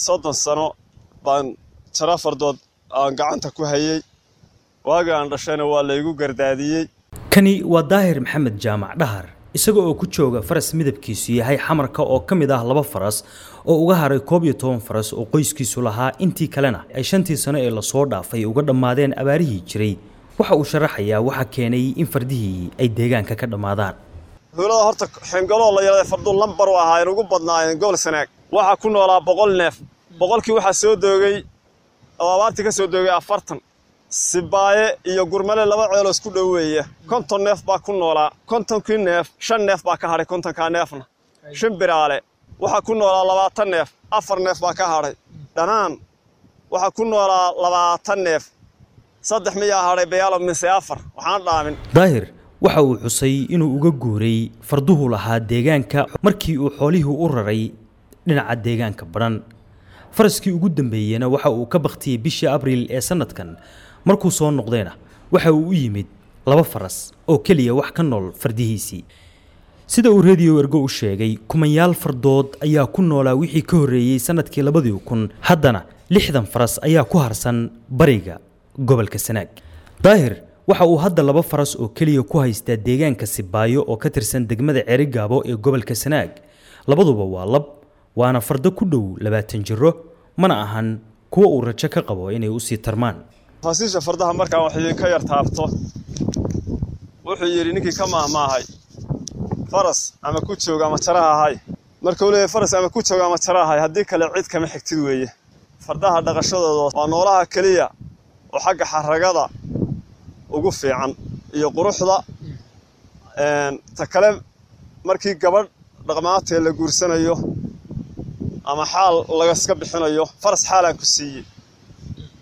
30 sano baan jara fardood aan gacanta ku hayay. Waagii aan dhashayna waa laygu gardaadiyey. Kani waa Daahir Maxamed Jaamac Dhahar, isaga oo ku jooga faras midabkiisu yahay xamarka oo ka mid ah 2 faras oo uga haray 11 faras oo qoyskiisu lahaa, intii kalena ay 5tii sano ee lasoo dhaafay uga dhammaadeen abaarihii jiray. Waxa uu sharaxayaa waxa keenay in fardihii ay deegaanka ka dhammaadaan. Tuulada horta Xingaloo la yiraahdo fardu lambar u ahaayeen ugu badnaayeen gobol Sanaag. Waxaa ku noolaa 100 neef. 100kii waxaa soo doogay oo abaartii ka soo doogay 40. Sibaaye iyo Gurmale 2 ceeloo isku dhoweeya. 50 neef baa ku noolaa. 50kii neef 5 neef baa ka hadhay, 50kaa neefna. Shimbiraale waxaa ku noolaa 20 neef, 4 neef baa ka hadhay. Dhanaan waxaa ku noolaa 20 neef, 3 miyaa hadhay, bayaalo mise 4, waxaan dhaamin. Daahir waxa uu xusay inuu uga guuray farduhu lahaa deegaanka markii uu xoolihii u raray dhinaca deegaanka Badhan. Faraskii ugu dambeeyena waxa uu ka bakhtiyey bishii Abriil ee sanadkan. Markuu soo noqdayna waxa uu u yimid 2 faras oo keliya wax ka nool fardihiisii. Sida uu Radio Ergo u sheegay, kumanyaal fardood ayaa ku noolaa wixii ka horreeyey sanadkii 2000, haddana 60 faras ayaa ku harsan bariga gobolka Sanaag. Daahir waxa uu hadda 2 faras oo keliya ku haystaa deegaanka Sibaayo oo ka tirsan degmada Ceerigaabo ee gobolka Sanaag. Labaduba waa lab, waana fardo ku dhow 20 jiro, mana ahan kuwa uu rajo ka qabo inay u sii tarmaan. Tafaasiisha fardaha markaan wax idinka yar taabto, wuxuu yidhi ninkii ka maahmaahay faras ama ku jooga ama jaraha ahay. Marka uu leeyahay faras ama ku jooga ama jaraha ahay, haddii kale cid kama xigtid weeye. Fardaha dhaqashadooda waa noolaha keliya oo xagga xaragada ugu fiican iyo quruxda. Ta kale, markii gabadh dhaqmaatee la guursanayo ama xaal lagaska bixinayo, faras xaalaan ku siiyey.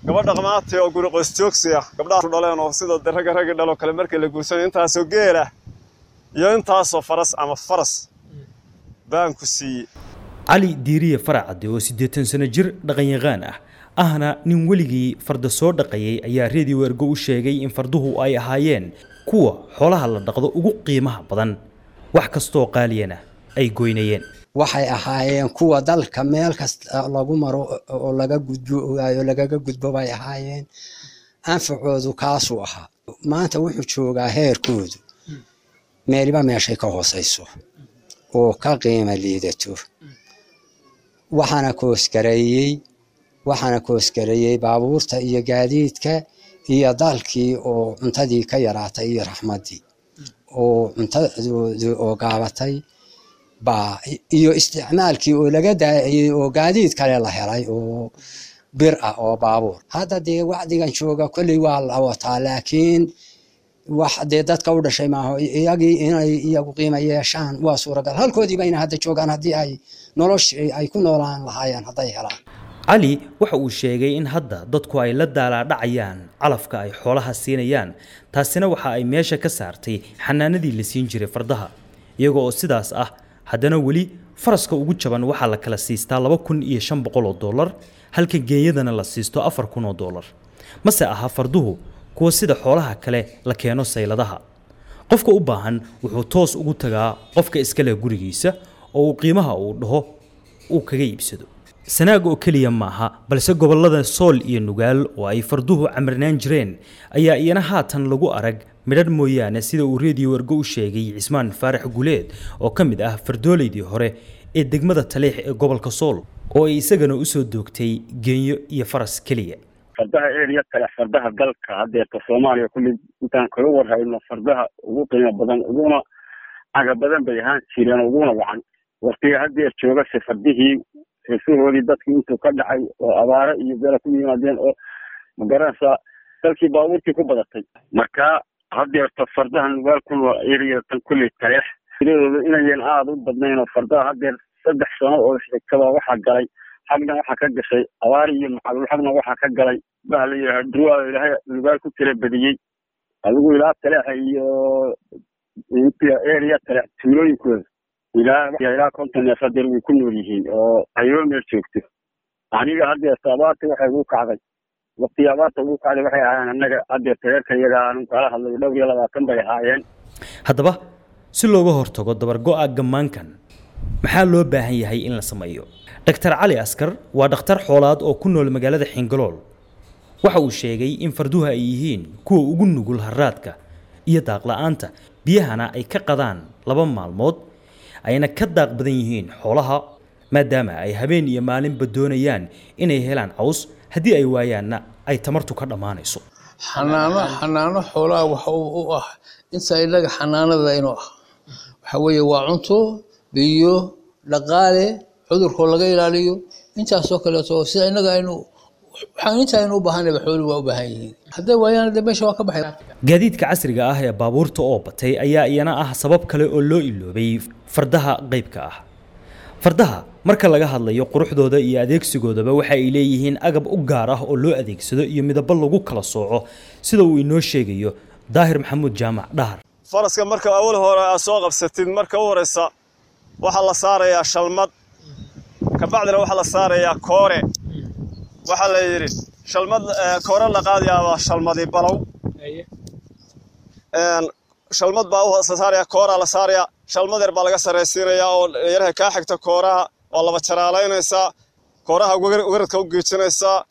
Gabadh dhaqmaatee oo guri qoys joogsi ah, gabdhaha dhaleen oo sida ragga raggi dhaloo kale markii la guursanayo, intaasoo geel ah iyo intaasoo faras ama faras baan ku siiyey. Cali Diiriye Faracade oo 80 sano jir dhaqanyaqaan ah, ahna nin weligii farda soo dhaqayay, ayaa Radio Ergo u sheegay in farduhu ay ahaayeen kuwa xoolaha la dhaqdo ugu qiimaha badan, wax kastoo qaaliyana ay goynayeen. Waxay ahaayeen kuwa dalka meel kasta lagu maro oo laga gudbo oo lagaga gudbo bay ahaayeen. Anfacoodu kaasuu ahaa. Maanta wuxuu joogaa heerkoodu meeliba meeshay ka hooseyso oo ka qiimo liidato. Waxaana koosgareeyey baabuurta iyo gaadiidka iyo dalkii oo cuntadii ka yaraatay iyo raxmaddii oo cuntadoodii oo gaabatay baa iyo isticmaalkii oo laga daayay oo gaadiid kale la helay oo bir ah oo baabuur. Hadda dee wacdigan jooga kolley waa la wataa, laakiin wax dee dadka u dhashay maaho. Iyagii inay iyagu qiimo yeeshaan waa suuragal, halkoodii bayna hadda joogaan haddii ay noloshii ay ku noolaan lahaayeen hadday helaan. Cali waxa uu sheegay in hadda dadku ay la daalaadhacayaan calafka ay xoolaha siinayaan, taasina waxa ay meesha ka saartay xanaanadii la siin jiray fardaha. Iyaga oo sidaas ah, haddana weli faraska ugu jaban waxaa la kala siistaa $2,500 oo dollar, halka geeyadana la siisto $4,000 oo dollar. Mase aha farduhu kuwa sida xoolaha kale la keeno sayladaha. Qofka u baahan wuxuu toos ugu tagaa qofka iska leh gurigiisa oo uu qiimaha uu dhaho uu kaga iibsado. Sanaag oo keliya maaha, balse gobollada Sool iyo Nugaal oo ay farduhu camirnaan jireen ayaa iyana haatan lagu arag midhadh mooyaane, sida uu Radio Ergo u sheegay Cismaan Faarax Guleed oo ka mid ah fardooleydii hore ee degmada Taleex ee gobolka Sool, oo ay isagana usoo doogtay geenyo iyo faras keliya. Fardaha eriya kale, fardaha dalka haddeerta Soomaaliya kulli intaan kaga warhayno, fardaha ugu qiimo badan uguna caga badan bay ahaan jireen, uguna wacan. Waqtiga haddeer joogase fardihii heesahoodii dadkii intuu ka dhacay oo abaaro iyo bela ku yimaadeen oo magaranaysaa dalkii baabuurtii ku badatay. Marka haddeerta fardaha Nugaal ku nool eriyatan kulley Taleex tiradooda inayan aada u badnayn, oo fardaha haddeer 3 sano oo xigtaba waxaa galay xagna waxaa ka gashay abaar iyo macaluul, xagna waxaa ka galay baha la yidhaha durwaa Ilaahay Nugaal ku tira badiyey. Adigu ilaa Taleexa iyo eriya Taleex tuulooyinkooda ilaa 50 neef haddeer way ku nool yihiin oo ayoo meel joogto. Aniga haddeerta abaarta waxay ugu kacday, waqtigii abaarta ugu kacday waxay ahaayeen annaga haddeerta reerka iyaga aanu kala hadlay dhowr iyo 20 bay ahaayeen. Haddaba si looga hortago dabargo'a gammaankan Maxaa loo baahan yahay in la sameeyo? Dr Cali Askar waa dhakhtar xoolaad oo ku nool magaalada Xingalool. Waxa uu sheegay in farduhu ay yihiin kuwa ugu nugul harraadka iyo daaqla'aanta, biyahana ay ka qadaan 2 maalmood, ayna ka daaq badan yihiin xoolaha, maadaama ay habeen iyo maalinba doonayaan inay helaan caws, haddii ay waayaanna ay tamartu ka dhammaanayso. Xanaano xoolaha waxa u ah inta inaga xanaanada inuu ah waxa weeye waa cunto, biyo, dhaqaale, cudurkoo laga ilaaliyo, intaasoo kaleeto. Sida inaga aynu waxaan inta aynu u baahanayba xooluhu waa u baahan yihiin. Hadday waayaan dee meesha waa ka baxay. Gaadiidka casriga ah ee baabuurta oo batay ayaa iyana ah sabab kale oo loo iloobay fardaha qaybka ah. Fardaha marka laga hadlayo quruxdooda iyo adeegsigoodaba, waxa ay leeyihiin agab u gaar ah oo loo adeegsado iyo midabo lagu kala sooco, sida uu inoo sheegayo Daahir Maxamuud Jaamac Dhahar. Faraska marka awal hore aad soo qabsatid, marka u horeysa waxaa la saarayaa shalmad, kabacdina waxaa la saarayaa koore. Waxaa la yidhi shalmad koore la qaadayaabaa shalmadi balow. Shalmad baa u saaraya, kooraa la saarayaa, shalmad yar baa laga sarraysiinayaa oo yaraha kaa xigta kooraha. Waa laba jaraalaynaysaa kooraha, weradka u geejinaysaa,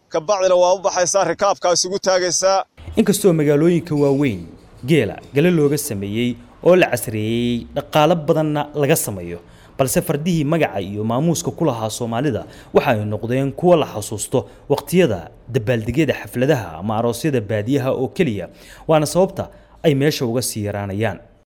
kabacdina waa u baxaysaa, rikaabkaa isugu taagaysaa. Inkastoo magaalooyinka waaweyn geela gale looga sameeyey oo la casriyeeyey, dhaqaalo badanna laga sameeyo, balse fardihii magaca iyo maamuuska ku lahaa Soomaalida waxa ay noqdeen kuwo la xasuusto waqtiyada dabaaldegyada, xafladaha ama aroosyada baadiyaha oo keliya, waana sababta ay meesha uga sii yaraanayaan.